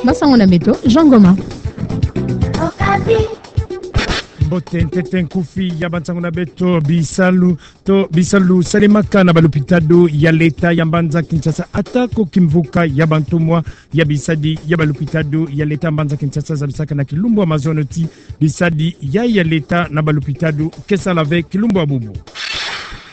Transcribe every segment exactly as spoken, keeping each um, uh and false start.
Bansangu na beto, Jean Goma. Mbote, ntete nkufi ya bansangu na beto. Bisalu, to bisalu salemaka na balupitadu ya leta ya mbanza Kinshasa, atako kimvuka ya bantumwa ya bisadi ya balupitadu ya leta mbanza Kinshasa zabisaka na kilumbu ya mazono ti bisadi ya, ya leta na balupitadu ke sala ve kilumbu ya bubu.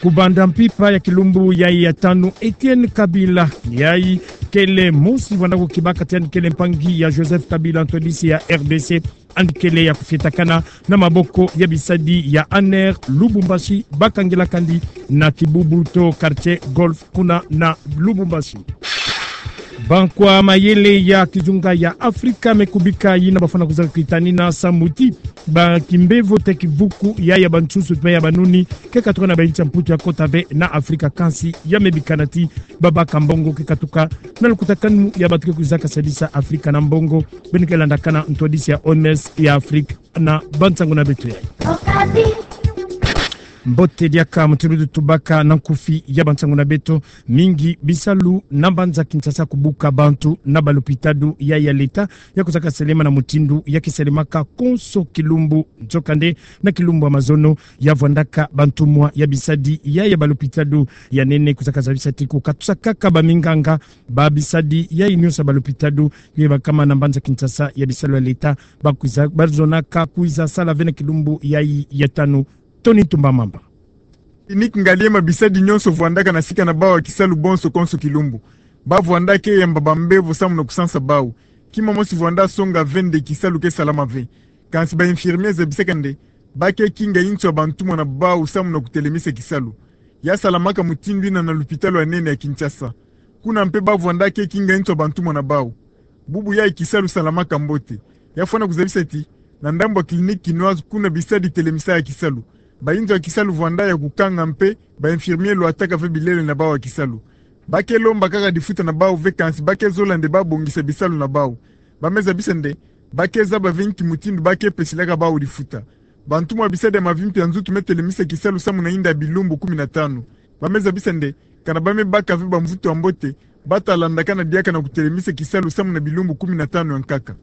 Kubanda mpimpa ya kilumbu yayi ya tanu, Etienne Kabila, yayi kele mosi vwanda kukibaka ti yandi kele mpangi ya Joseph Kabila, ntwadisi ya R D C, yandi kele ya kufwetakana na maboko ya bisadi ya ANR Lubumbashi, bakangila kandi na kibubu to quartier Golf kuna na Lubumbashi. Bankwa mayele ya kizunga ya Afrika me kubika yina bafwana kwiza kitanina samu ti ba kimbevo te kivuku ya, ya bansusu pe ya banuni ke katuka na bayinsi ya Mputu ya kota ve na Afrika, kansi ya me bikana ti babaka mbongo ke katuka na lukutakanu ya bantu ke kwiza kasadisa Afrika na mbongo. Beno ke landakana ntwadisi ya O M S ya Afrika na bansangu na beto yayi. Mbote diaka, mutindu tutubaka na nkufi ya bansangu na beto, mingi bisalu na mbanza Kinshasa kubuka bantu na balupitadu ya, ya leta ya kwiza kasalema na mutindu ya ke salemaka konso kilumbu. Nzokande na kilumbu ya mazono ya vwandaka bantumwa ya bisadi ya, ya balupitadu ya nene kwiza kazabisa ti kukatusakaka baminganga ba bisadi yayi nyonso ya balupitadu ye bakama na mbanza Kinshasa ya bisalu ya leta, bakwiza, bazonaka kwiza sala ve na kilumbu yayi ya tanu. Tony Ntumba Mamba. Clinique Ngaliema, bisadi nyonso vwandaka na sika na bawu ya kisalu bonso konso kilumbu. Ba vwanda ke yamba bambevo samu na kusansa bawu. Kima mosi vwanda songa ve nde kisalu ke salama ve. Kansi ba infirmiers zabisaka nde ba ke kinga inso ya bantumwa na bawu samu na kutelemisa kisalu. Ya salamaka mutindu yina na lupitalu ya nene ya Kinshasa. Kuna mpe ba vwanda ke kinga inso ya bantumwa na bawu. Bubu yayi kisalu salamaka mbote. Ya fwana kuzabisa ti na ndambu ya Clinique Kinoise kuna bisadi telemisa ya kisalu, bayinzo ya kisalu vwanda ya kukanga mpe ba infirmiers lwataka ve bilele na bawu ya kisalu. Ba ke lomba kaka difuta na bawu ve, kansi ba ke zola nde ba bongisa bisalu na bawu. Ba me zabisa nde ba ke zaba ve nki mutindu ba ke pesilaka bawu difuta. Bantumwa bisadi ya mavimpi ya nzutu me telemisa kisalu samu na yinda ya bilumbu kumi na tanu. Ba me zabisa nde kana ba me baka ve bamvutu ya mbote, ba ta landakana diaka na kutelemisa kisalu samu na bilumbu kumi na tanu ya nkaka.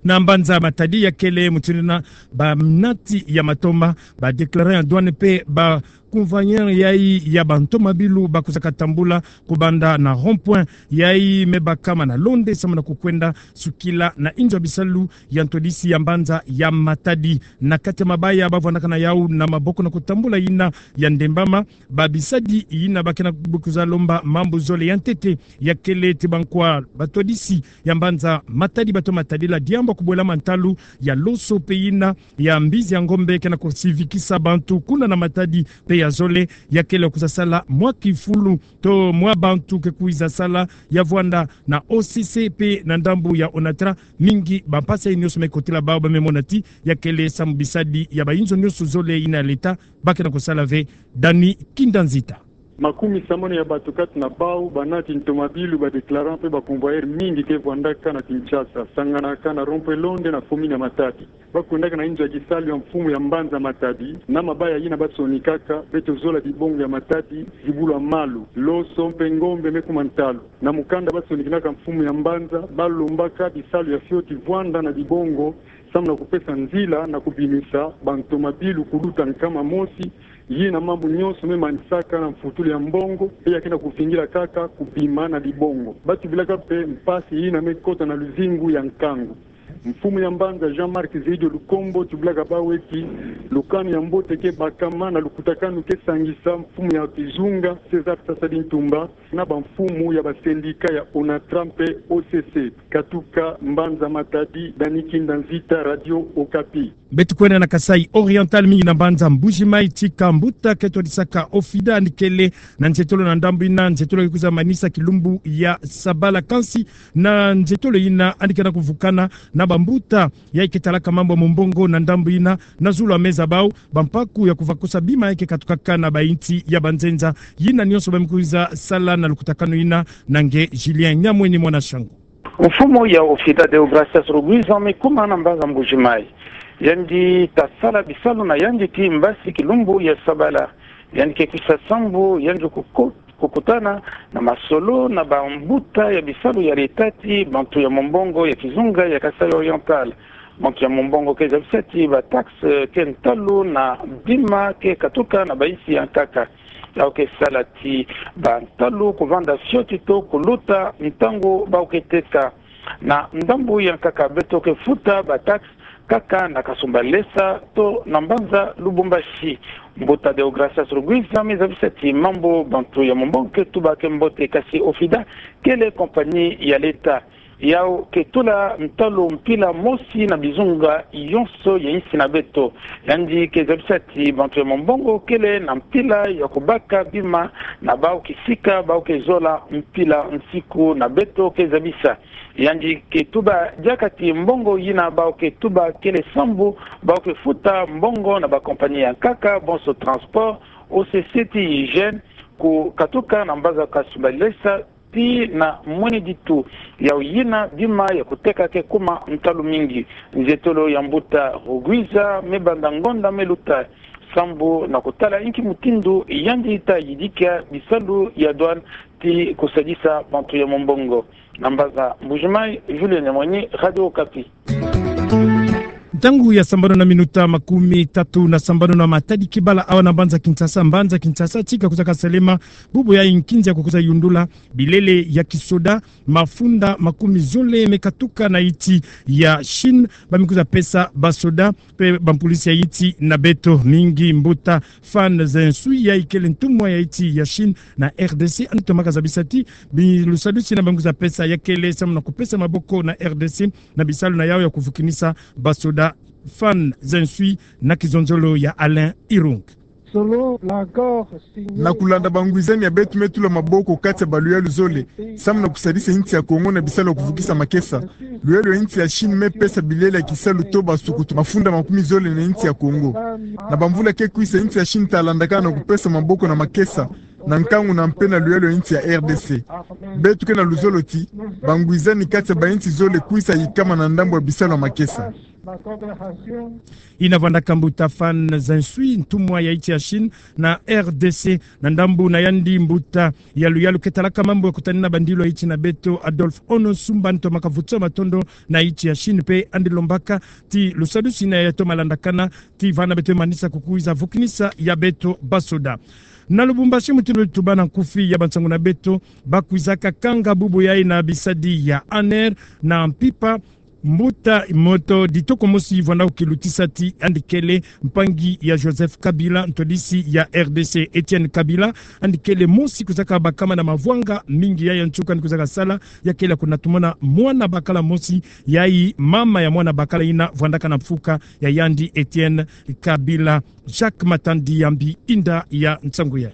Na mbanza Matadi ya kele mutindu yina, banati ya matoma, ba déclarants ya douane mpe ba convoyeurs yayi ya bantomabilu bakuzaka tambula kubanda na rond-point yayi me bakama na Londe samu na kukwenda sukila na inzo ya bisalu ya ntwadisi ya mbanza ya Matadi. Na kati ya mabaya ba vwandaka na yawu na maboko na kutambula yina ya ndembama, ba bisadi yina ba ke na kuza lomba mambu zole. Ya ntete ya kele ti bankwa batwadisi ya mbanza Matadi ba toma tadila diambu ya kubwela mantalu ya loso mpe yina ya mbizi ya ngombe ke na kusivikisa bantu kuna na Matadi, mpe ya zole ya kele kuza sala mwa kifulu to mwa bantu ke kwiza sala ya vwanda na O C C mpe na ndambu ya ONATRA. Mingi bampasi nyonso me kotila bawu, ba me mona ti ya kele samu bisadi ya bayinzo nyonso zole yina ya leta ba ke na kusala ve. Dani Kinda Nzita. Makumi samani ya bato kati na bawu, banati ntomabilu, ba déclarants mpe ba convoyeurs mingi ke vwandaka na Kinshasa, sanganaka na rond-point Londe na commune ya Matadi. Ba kwendaka na inzo ya kisalu ya mfumu ya mbanza Matadi, na mabaya yina ba sonikaka: beto zola dibongo ya Matadi, zibula malu, loso mpe ngombe me kuma ntalu. Na mukanda ba sonikinaka mfumu ya mbanza, ba lombaka bisalu ya fioti vwanda na dibongo, samu na kupesa nzila na kubimisa bantomabilu kuluta nkama mosi, yina mambu nyonso me manisaka na mfutulu ya mbongo, mpe ya ke na kuvingila kaka kubima na dibongo. Ba tubilaka mpe mpasi yina me kota na luzingu ya nkangu. Mfumu ya mbanza Jean-Marc Zaido Lukombo tubilaka bawu ti lukanu ya mbote ke bakama na lukutakanu ke sangisa mfumu ya kizunga César Sassou Ntumba na bamfumu ya ba syndicat ya ONATRA mpe O C C. Katuka mbanza Matadi, Dani Kinda Nzita, Radio Okapi. Beto kwenda na Kasaï Oriental, mingi na mbanza Mbuji-Mayi, tika mbuta ke twadisaka OFIDA yandi kele na nzietolo na ndambu yina. Nzietolo ke kwiza manisa kilumbu ya sabala, kansi na nzietolo yina yandi ke na kuvukana na bambuta yayi ke talaka mambu ya mumbongo na ndambu yina. Na zulu ya meza bawu, bampaku ya kuvakusa bima yayi ke katukaka na bayinsi ya banzenza. Yina nyonso ba me kwiza sala na lukutakanu yina na nge Julien Nyamweni, mwana Shangu. Mfumu ya OFIDA Deogracias Rugwiza me kuma na mbanza Mbuji-Mayi. Yandi ta sala bisalu na yandi ti mbasi kilumbu ya sabala. Yandi ke kwisa sambu yandi kuku-, kukutana Na masolo na bambuta ya bisalu ya leta ti bantu ya mombongo ya kizunga ya Kasaï Oriental, bantu ya mombongo ke zabisa ti bataxe ke ntalu na bima ke katuka na bayinsi ya nkaka. Yau ke sala ti bantalu kuvanda fioti to kuluta ntangu bau ke teka. Na ndambu ya nkaka beto ke futa bataxe kaka na Kasumbalesa to na mbanza Lubumbashi. Mbuta Deogracias Rugwiza me zabisa ti mambu bantu ya mombongo ke tuba ke mbote, kasi OFIDA kele compagnie ya leta. Yau ke tula ntalu mpila mosi na bizunga yonso ya insi na beto. Yandi ke zabisa ti bantu ya mombongo kele na mpila ya kubaka bima na bau kisika bau ke zola mpila nsiku na beto ke zabisa. Yandi ke tuba diaka ti mbongo yina bau ke tuba kele sambu bau ke futa mbongo na bacompagnie ya nkaka, bonso transport, OCC ti hygiène, kukatuka na mbanza Kasumbalesa ti na Mwene Ditu. Yau yina bima ya kuteka ke kuma ntalu mingi. Nzietolo ya mbuta Rugwiza me banda ngonda me luta sambu na kutala inki mutindu yandi ta yidika bisalu ya douane ti kusadisa bantu ya mombongo. Na mbanza Mbuji-Mayi, Julien Nyamwenyi, Radio Okapi. Ntangu ya sambanu na minuta makumi tatu na sambanu na matadi kibala awa na mbanza Kinshasa, mbanza Kinshasa tika kuzaka salema bubu ya nkinzi ya kukuza yundula bilele ya kisoda, mafunda makumi zole me katuka na insi ya Chine, ba me kuza pesa basoda pe bampulusi ya insi na beto mingi. Mbuta Fan Zhenshui, ya ikele ntumwa ya insi ya Chine na R D C, andi tomaka zabisa ti bi lusadusi yina ba me kuza pesa ya kele samu na kupesa maboko na R D C na bisalu na yau ya kuvukinisa basoda. Fan Zhenshui na kizonzolo ya Alain Irung. Na kulanda bangwizani ya beto, me tula maboko kati ya baluyalu zole samu na kusadisa insi ya Kongo na bisalu ya kuvukisa makesa. Luyalu ya insi ya Chine me pesa bilele ya kisalu to basukutu mafunda makumi zole na insi ya Kongo. Na bamvula ke kwisa, insi ya Chine ta landakana na kupesa maboko na makesa na nkangu na mpe na luyalu ya insi ya R D C. Beto ke na luzolo ti bangwizani kati ya bainsi zole kwisa yikama na ndambu ya bisalu ya makesa. Yina vwandaka mbuta Fan Zhenshui, ntumwa ya insi ya Chine na R D C. Na ndambu na yandi, mbuta ya luyalu ke talaka mambu ya kutanina bandilu ya insi na beto, Adolphe Ono Sumba, andi tomaka vutusa matondo na insi ya Chine, pe andi lombaka ti lusadusi yina ya toma landakana ti vana beto manisa kukwiza vukinisa ya beto basoda. Na Lubumbashi, mutindu tuba na nkufi ya bansangu na beto, ba kwizaka kanga bubu yayi na bisadi ya ANR na mpimpa, mbuta moto ditoko mosi vwanda kukilutisa ti andi kele mpangi ya Joseph Kabila, ntwadisi ya R D C. Etienne Kabila andi kele mosi kwizaka bakama na mavwanga mingi. Yayi ya nsuka andi kwizaka sala, ya kele kuna tumona mwana bakala mosi, yayi mama ya mwana bakala yina vwandaka na mfuka ya yandi Etienne Kabila. Jacques Matandi Yambi, inda ya nsangu yayi.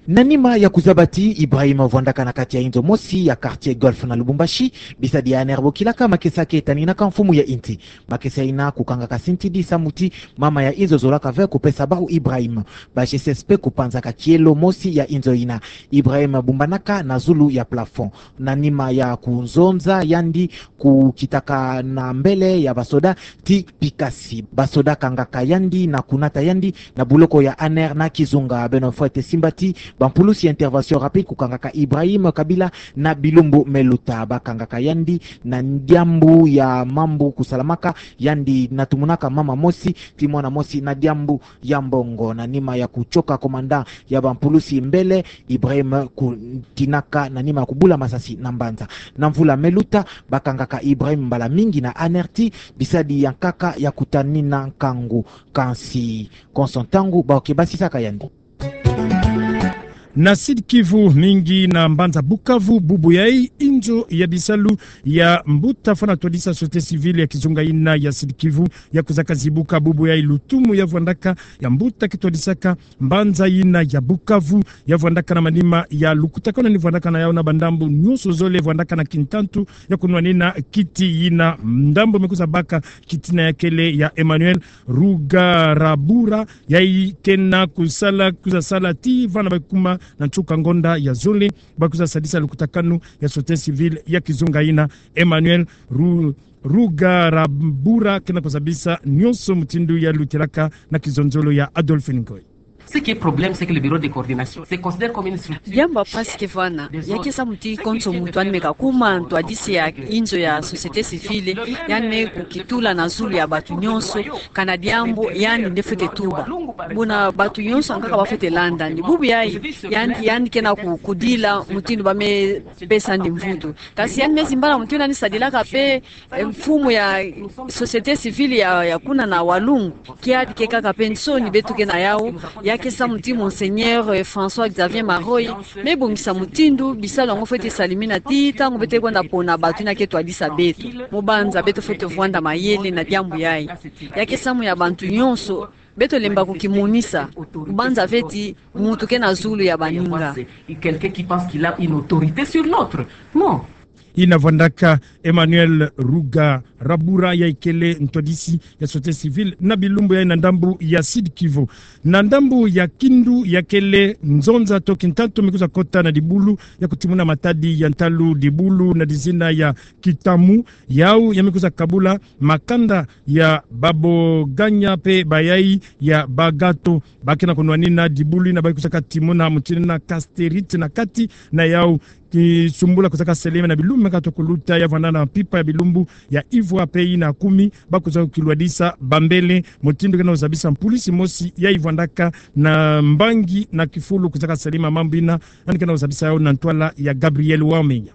Na nima ya kuzaba ti Ibrahim vwandaka na kati ya inzo mosi ya quartier Golf na Lubumbashi, bisadi ya ANR bokilaka makesa ke taninaka mfumu ya insi. Makesa yina kukangaka sintidi samu ti mama ya inzo zolaka ve kupesa bawu Ibrahim. Ba G C S P kupanzaka kielo mosi ya inzo yina. Ibrahim bumbanaka na zulu ya plafond. Na nima ya kunzonza yandi, kukitaka na mbele ya basoda ti pikasi. Basoda kangaka yandi na kunata yandi na buloko ya ANR na kizunga. Beno fwete simba ti bampulusi ya intervention rapide kukangaka Ibrahim Kabila na bilumbu me luta. Bakangaka yandi na diambu ya mambu kusalamaka, yandi na tumunaka mama mosi ti mwana mosi na diambu ya mbongo. Na nima ya kuchoka commandant ya bampulusi mbele, Ibrahim kutinaka na nima ya kubula masasi na mbanza. Na mvula me luta, bakangaka Ibrahim mbala mingi na ANR ti bisadi ya nkaka ya kutanina nkangu. Kansi konso ntangu ba ke basisaka yandi. Na Sud-Kivu, mingi na mbanza Bukavu, bubu yayi, inzo ya bisalu ya mbuta fwana twadisa société civile ya kizunga yina ya Sud-Kivu ya kwizaka zibuka. Bubu yayi lutumu ya vwandaka ya mbuta ke twadisaka mbanza yina ya Bukavu, ya vwandaka na manima ya lukutakanu ni vwandaka na yau na bandambu nyonso zole, vwandaka na kintantu ya kunwanina kiti yina. Ndambu me kwiza baka kiti yina ya kele ya Emmanuel Rugarabura, yayi ke na kusala, kwiza sala ti vana ba kuma na nsuka ngonda ya zole, ba kwiza sadisa lukutakanu ya société civile ya kizunga yina. Emmanuel Ru-, Rugarabura ke na kuzabisa nyonso mutindu ya lutilaka na kizonzolo ya Adolphine Ngoy. Ce qui est problème, c'est que le bureau de coordination se considère comme une structure. Diambu ya mpasi ke vwanda, ya ke samu ti konso muntu yandi me kakuma ntwadisi ya inzo ya société civile, yandi me kukitula na zulu ya bantu nyonso, kana diambu yandi nde fwete tuba. Buna bantu nyonso ankaka ba fwete landa, ni bubu yayi, yandi, yandi ke na ku-, kudila mutindu ba me pesa yandi mvutu. Kasi yandi me zimbana mutindu yandi sadilaka mpe, eh, mfumu ya société civile ya, ya kuna na Walungu, kiadi ke kaka mpe nsoni beto ke na yau, ya ke samu ti Monseigneur, eh, François Xavier Maroy, me bongisa mutindu bisalu yango fwete salamina ti ntangu beto ke kwenda pona bantu yina ke twadisa beto. Mu banza beto fwete vwanda mayele na diambu yayi. Ya ke samu ya bantu nyonso, beto lemba kukimonisa, mu banza fwete muntu ke na zulu ya baninga. Quelqu'un qui pense qu'il a une autorité sur l'autre. Non. Ina vwandaka Emmanuel Ruga Rabura, yayi kele ntwadisi ya société civile na bilumbu yayi na ndambu ya Sud-Kivu. Na ndambu ya Kindu, ya kele nzonza to Kintantu me kwiza kota na dibulu ya kutimuna matadi ya ntalu, dibulu na dizina ya Kitamu, yau ya me kwiza kabula makanda ya baboganya mpe bayayi ya bagato. Ba ke na kunwanina dibulu yina ba kwizaka timuna mutindu yina casterite na kati na yau, kisumbula kwizaka salama na bilumbu me kwiza kuluta, ya vwanda na mpimpa ya bilumbu ya ivwa mpe yina kumi, ba kwiza kilwadisa bambele, mutindu ke na kuzabisa mpulisi mosi yayi vwandaka na mbangi na kifulu kwizaka salama mambu yina, yandi ke na kuzabisa yau na ntwala ya Gabriel Wamenya.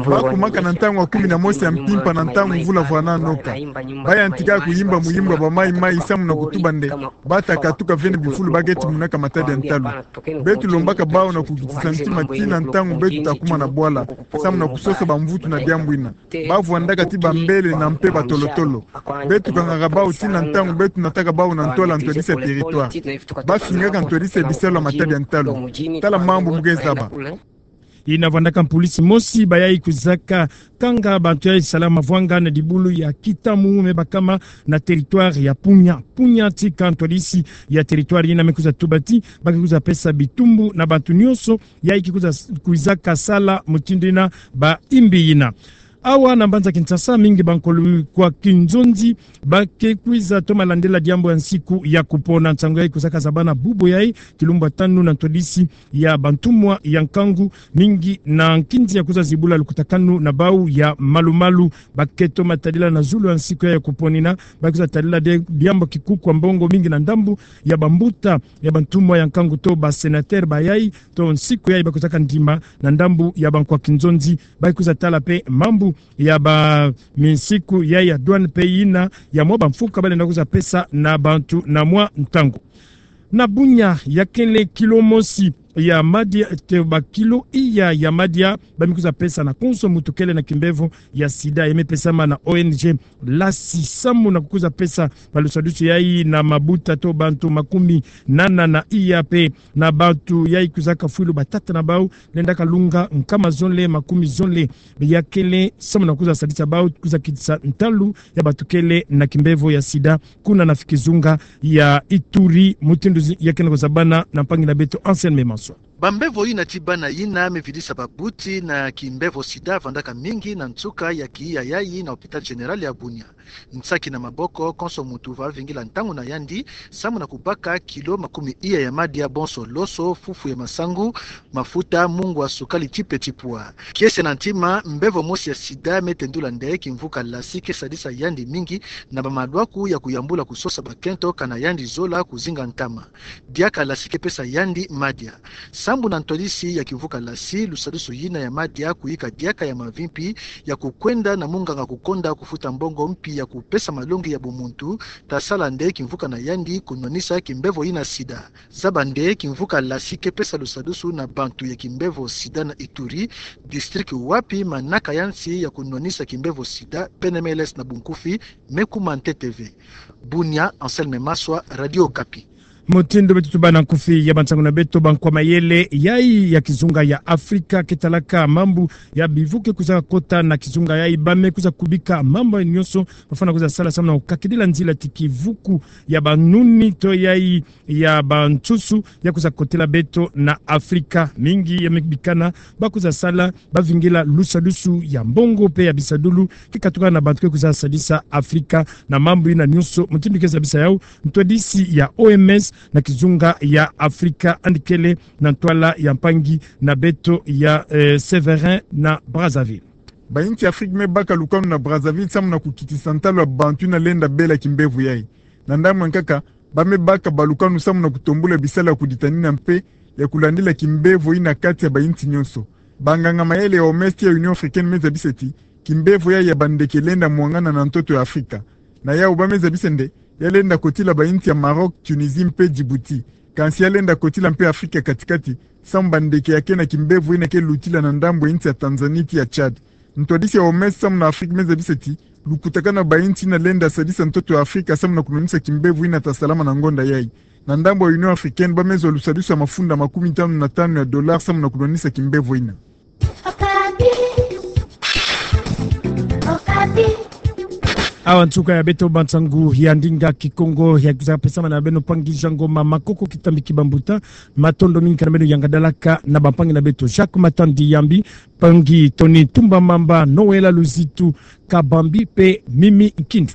Ba kumaka na ntangu ya kumi na mosi ya mpimpa na ntangu mvula vwananoka. Ba yantika kuyimba muyimbo ya bamaimai samu na kutuba nde ba ta katuka vene bifulu ba ke timunaka matadi ya ntalu. Beto lombaka bau na kukitisa ntima tii na ntangu beto ta kuma na bwala, samu na kusosa bamvutu na diambu yina. Ba vwandaka ti bambele na mpe batolotolo. Beto kangaka bau tii na ntangu beto nataka bau na ntwala ntwadisi ya territoire. Ba fingaka ntwadisi ya bisalu ya matadi ya ntalu. Tala mambu mu ke zaba. Ina vwandaka mpulisi mosi bayayi kwizaka kanga bantu yayi sala mavwanga na dibulu ya Kitamu me bakama na territoire ya Punya. Punya tika ntwadisi ya territoire yina me kwiza tuba ti ba ke kwiza pesa bitumbu na bantu nyonso yayi ke kwiza, kwizaka sala mutindu yina ba imbi yina. Awa na mbanza Kinshasa, mingi bankolo kwa kinzonzi ba ke kwiza toma landila diambu ya nsiku ya kupona. Nsangu yayi kwizaka zabana bubu yayi, kilumbu ya tanu, na ntwadisi ya bantumwa ya nkangu, mingi na nkinzi ya kwiza zibula lukutakanu na bau ya malu-malu. Ba ke toma tadila na zulu ya nsiku yayi ya kupona yina, ba kwiza tadila de diambu kikuku ya mbongo mingi na ndambu ya bambuta ya bantumwa ya nkangu to ba sénateur bayayi, to nsiku yayi ba kwizaka ndima na ndambu ya bankwa kinzonzi, ba kwiza tala mpe mambu ya ba minsiku yayi ya douane mpe yina ya mwa bamfuka ba lenda kwiza pesa na bantu na mwa ntangu. Na Bunia, ya kele kilo mosi ya madia, to ba kilo iya ya madia ba me kwiza pesa na konso muntu kele na kimbevo ya sida, ya me pesama na O N G Lasi samu na kukwiza pesa ba lusadusu yayi na mabuta to bantu makumi nana na iya mpe na bantu yayi kwizaka fwilu batata na bau lenda kalunga nkama zonle, makumi zonle, ya kele samu na kwiza sadisa bau kwiza kitisa ntalu ya bantu kele na kimbevo ya sida kuna na kizunga ya Ituri, mutindu zi-, ya ke na kuzabana na mpangi na beto Anselme Maswa. Bambevo yina ti bana yina me vidisa babuti na kimbevo sida vandaka mingi na nsuka ya kiya yayi na hôpital général ya Bunia. Nsaki na maboko, konso muntu va vingila ntangu na yandi samu na kubaka kilo makumi iya ya madia, bonso loso, fufu ya masangu, mafuta, mungwa, sukali ti petit pois. Kiese na ntima, mbevo mosi ya sida me tendula nde kimvuka Lasi ke sadisa yandi mingi na bamalwaku ya kuyambula kusosa bakento kana yandi zola kuzinga ntama. Diaka Lasi ke pesa yandi madia. Sambu na ntwadisi ya kimvuka Lasi, lusadusu yina ya madia kuyika diaka ya mavimpi ya kukwenda na munganga kukonda kufuta mbongo mpi ya kupesa malongi ya bumuntu, ta sala nde kimvuka na yandi kunwanisa kimbevo yina sida. Zaba nde kimvuka Lasi ke pesa lusadusu na bantu ya kimbevo sida na Ituri, district wapi manaka ya nsi ya kunwanisa kimbevo sida, P N M L S na bunkufi, me kuma ntete ve. Bunia, Anselme Maswa, Radio Okapi. Mutindu beto tubâ na nkufi ya bansangu na beto, bankwa mayele yayi ya kizunga ya Afrika ke talaka mambu ya bivu ke kwiza kota na kizunga yayi, ba me kwiza kubika mambu yayi nyonso ba fwana kwiza sala samu na kukakidila nzila ti kivuku ya banuni to yayi ya bansusu ya kwiza kotela beto na Afrika. Mingi ya me bikana ba kwiza sala, ba vingila lusadusu ya mbongo mpe ya bisadulu ke katuka na bantu ke kwiza sadisa Afrika na mambu yina nyonso. Mutindu ke zabisa yau, ntwadisi ya O M S, na kizunga ya Afrika, yandi kele na ntwala ya mpangi na beto ya, eh, Séverin na Brazzaville. Ba inti Afrika me baka lukanu na Brazzaville samu na kukitisa ntalo ya bantu ina lenda bela kimbevo yayi. Na ndambu ya nkaka, ba me baka balukanu samu na kutombula bisalu ya kuditanina mpe ya kulandila kimbevo ina kati ya ba inti nyonso. Banganga-mayele ya O M S ti ya Union Africaine me zabisa ti kimbevo yayi ya bandeke lenda mwangana na ntoto ya Afrika. Na yawu ba me zabisa nde ya lenda kotila ba inti ya Maroc, Tunisie mpe Djibouti. Kansi ya lenda kotila mpe Afrika ya kati-kati, samu bandeke ya kena kimbevo ina ke lutila na ndambu ya inti ya Tanzanie ti ya Tchad. Ntwadisi ya O M S samu na Afrika me zabisa ti lukutakanu ya ba inti ina lenda sadisa ntoto ya Afrika samu na kulwanisa kimbevo ina ta salama na ngonda yayi. Na ndambu ya Union Africaine, ba me zwa lusadisu ya mafunda makumi tanu na tanu ya dollars samu na kulwanisa kimbevo ina. Awa nsuka ya beto bansangu ya ndinga Kikongo ya kwiza pesamana na beno mpangi Jean Ngoma Makoko Kitambi Kibambuta. Matondo mingi kana beno yangadalaka na bampangi na beto Jacques Matandi Yambi, mpangi Tony Tumba Mamba, Noëlla Luzitu Kabambi mpe Mimi Nkindu.